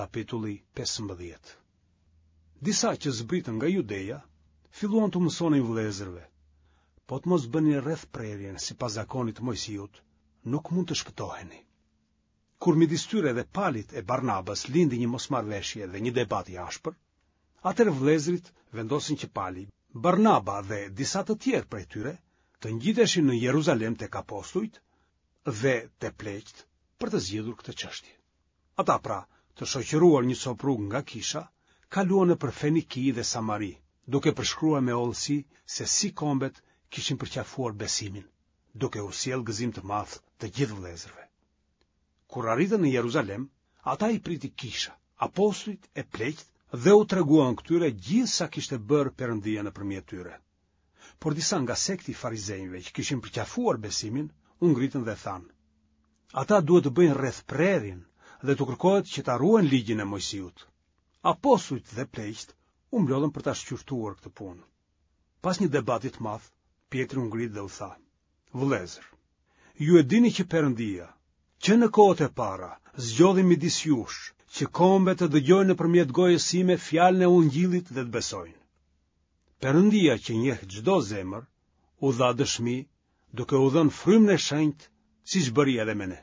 Kapitulli 15 Disa që zbritën nga Judeja, filluan t'u mësonin vëllezërve, po të mos bëni rrethprerjen sipas zakonit të Moisiut, nuk mund të shpëtoheni. Kur midis tyre dhe Palit e Barnabës lindi një mosmarrëveshje dhe një debat i ashpër, atëherë vëllezërit vendosën që Pali, Barnaba dhe disa të tjerë prej tyre të ngjiteshin në Jeruzalem tek apostujt dhe te pleqtë për të zgjidhur këtë çështje. Ata pra, të shoqëruar një copë rrugë nga kisha, kaluan nëpër Feniki dhe Samari, duke përshkruar me hollësi se si kombet kishin përqafuar besimin, duke u sjellë gëzim të madh të gjithë vëllezërve. Kur arritën në Jeruzalem, ata i priti kisha, apostujt e pleqtë dhe u treguan këtyre gjithë sa kishte bërë Perëndia nëpërmjet tyre. Por disa nga sekti i farizenjve që kishin përqafuar besimin, u ngritën dhe thanë: Ata duhet të bëjnë rrethprerjen dhe t'u kërkohet që ta ruajnë ligjin e Moisiut. Apostujt dhe pleqtë u mblodhën për ta shqyrtuar këtë punë. Pas një debati të madh, Pjetri u ngrit dhe u tha: Vëllezër, ju e dini që Perëndia, që në kohët e para, zgjodhi midis jush, që kombet të dëgjojnë nëpërmjet gojës sime fjalën e Ungjillit dhe të besojnë. Perëndia që njeh çdo zemër, u dha dëshmi duke u dhënë frymën e shenjtë, siç bëri edhe me ne.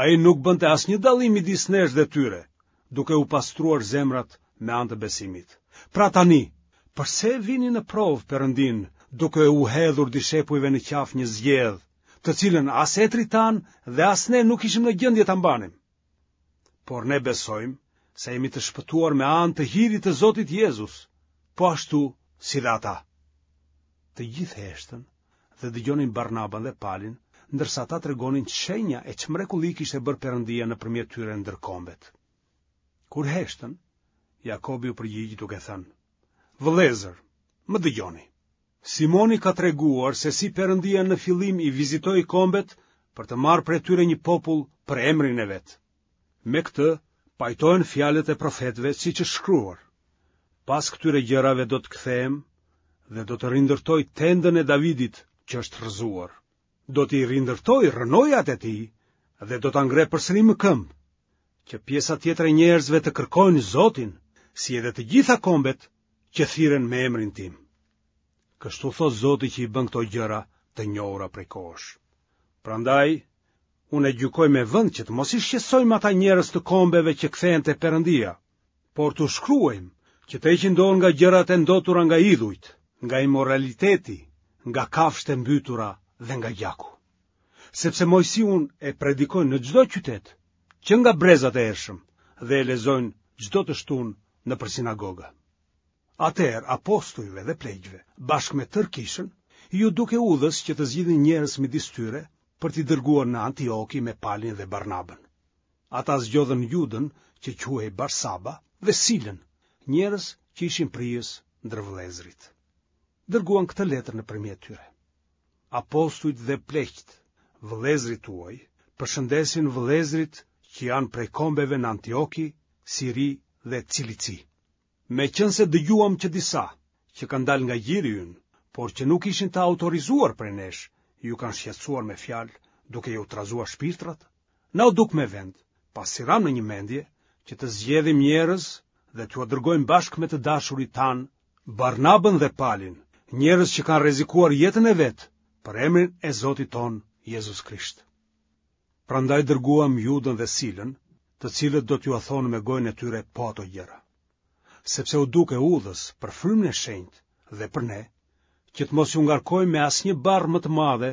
Ai nuk bënte asnjë dallim midis nesh dhe tyre, duke u pastruar zemrat me anë të besimit. Pra tani, përse e vini në provë Perëndinë, duke u hedhur dishepujve në qafë një zgjedhë, të cilën as etërit tanë dhe as ne nuk ishim në gjendje ta mbanim? Por ne besojmë se jemi të shpëtuar me anë të hirit të Zotit Jezus, po ashtu si dhe ata. Të gjithë heshtën dhe dëgjonin Barnabën dhe Palin, ndërsa ata tregonin ç'shenja e ç'mrekulli kishte bërë Perëndia nëpërmjet tyre ndër kombet. Kur heshtën, Jakobi u përgjigj duke thënë: Vëllezër, më dëgjoni. Simoni ka treguar se si Perëndia në fillim i vizitoi kombet për të marrë prej tyre një popull për emrin e vet. Me këtë pajtohen fjalët e profetëve siç është shkruar. Pas këtyre gjërave do të kthehem dhe do të rindërtoj tendën e Davidit që është rrëzuar. Do t'i rindërtoj rrënojat e tij dhe do ta ngre përsëri më këmbë, që pjesa tjetër e njerëzve të kërkojnë Zotin, si edhe të gjitha kombet që thirren me emrin tim. Kështu thotë Zoti që i bën këto gjëra të njohura prej kohësh. Prandaj, unë e gjykoj me vend që të mos i shqetësojmë ata njerëz të kombeve që kthehen te Perëndia, por t'u shkruajmë që të heqin dorë nga gjërat e ndotura nga idhujt, nga imoraliteti, nga kafshët e mbytura dhe nga gjaku. Sepse Moisiun e predikojnë në çdo qytet, që nga brezat e hershëm, dhe e lexojnë çdo të shtunë nëpër sinagoga. Atëherë apostujve dhe pleqve, bashkë me tërë kishën, iu duk e udhës që të zgjidhnin njerëz midis tyre për t'i dërguar në Antioki me Palin dhe Barnabën. Ata zgjodhën Judën që quhej Barsaba dhe Silën, njerëz që ishin prijës ndër vëllezërit. Dërguan këtë letër nëpërmjet tyre. Apostujt dhe pleqtë, vëllezërit tuaj, përshëndesin vëllezërit që janë prej kombeve në Antioki, Siri dhe Cilici. Meqenëse dëgjuam që disa, që kanë dalë nga gjiri ynë, por që nuk ishin të autorizuar prej nesh, ju kanë shqetësuar me fjalë, duke ju trazuar shpirtrat, na u duk me vend, pasi ramë në një mendje, që të zgjedhim njerëz dhe t'jua dërgojmë bashkë me të dashurit tanë, Barnabën dhe Palin, njerëz që kanë rrezikuar jetën e vet për emrin e Zotit tonë Jezus Krisht. Prandaj dërguam Judën dhe Silën, të cilët do t'jua thonë me gojën e tyre po ato gjëra. Sepse u duk e udhës për frymën e shenjtë dhe për ne, që të mos ju ngarkojmë me asnjë barrë më të madhe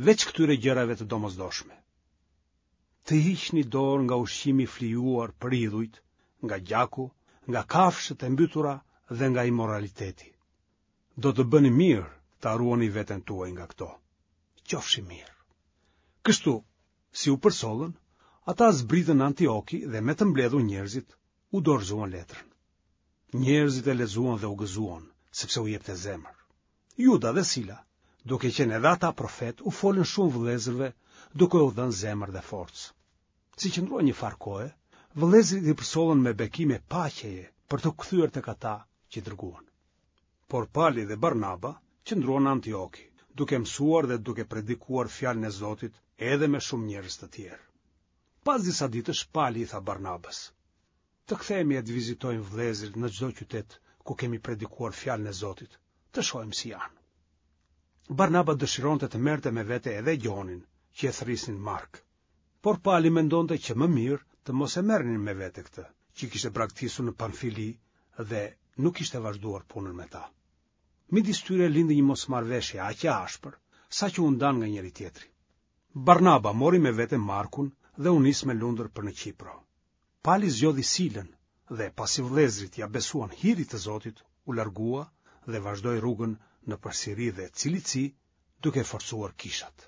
veç këtyre gjërave të domosdoshme. Të hiqni dorë nga ushqimi i flijuar për idhujt, nga gjaku, nga kafshët e mbytura dhe nga imoraliteti. Do të bëni mirë ta ruani veten tuaj nga këto. Qofshi mirë. Kështu, si u përcollën, ata zbritën në Antioki dhe me të mbledhur njerëzit, u dorëzuan letrën. Njerëzit e lexuan dhe u gëzuan, sepse u jepte zemër. Juda dhe Sila, duke qenë edhe ata profetë, u folën shumë vëllezërve, duke u dhënë zemër dhe forcë. Si qëndruan një farë kohe, vëllezërit i përcollën me bekime paqeje për t'u kthyer tek ata që i dërguan. Por Pali dhe Barnaba qëndruan në Antioki, duke mësuar dhe duke predikuar fjalën e Zotit edhe me shumë njerëz të tjerë. Pas disa ditësh Pali i tha Barnabës: Të kthehemi e të vizitojmë vëllezërit në çdo qytet ku kemi predikuar fjalën e Zotit, të shohim si janë. Barnaba dëshironte të merrte me vete edhe Gjonin, që e thërrisnin Mark. Por Pali mendonte që më mirë të mos e merrnin me vete këtë, që kishte braktisur në Pamfili dhe nuk kishte vazhduar punën me ta. Midis tyre lindi një mosmarrëveshje aq e ashpër, saqë u ndanë nga njëri-tjetri. Barnaba mori me vete Markun dhe u nis me lundër për në Qipro. Pali zgjodhi Silën dhe pasi vëllezërit ia besuan hirit të Zotit, u largua dhe vazhdoi rrugën nëpër Siri dhe Cilici, duke forcuar kishat.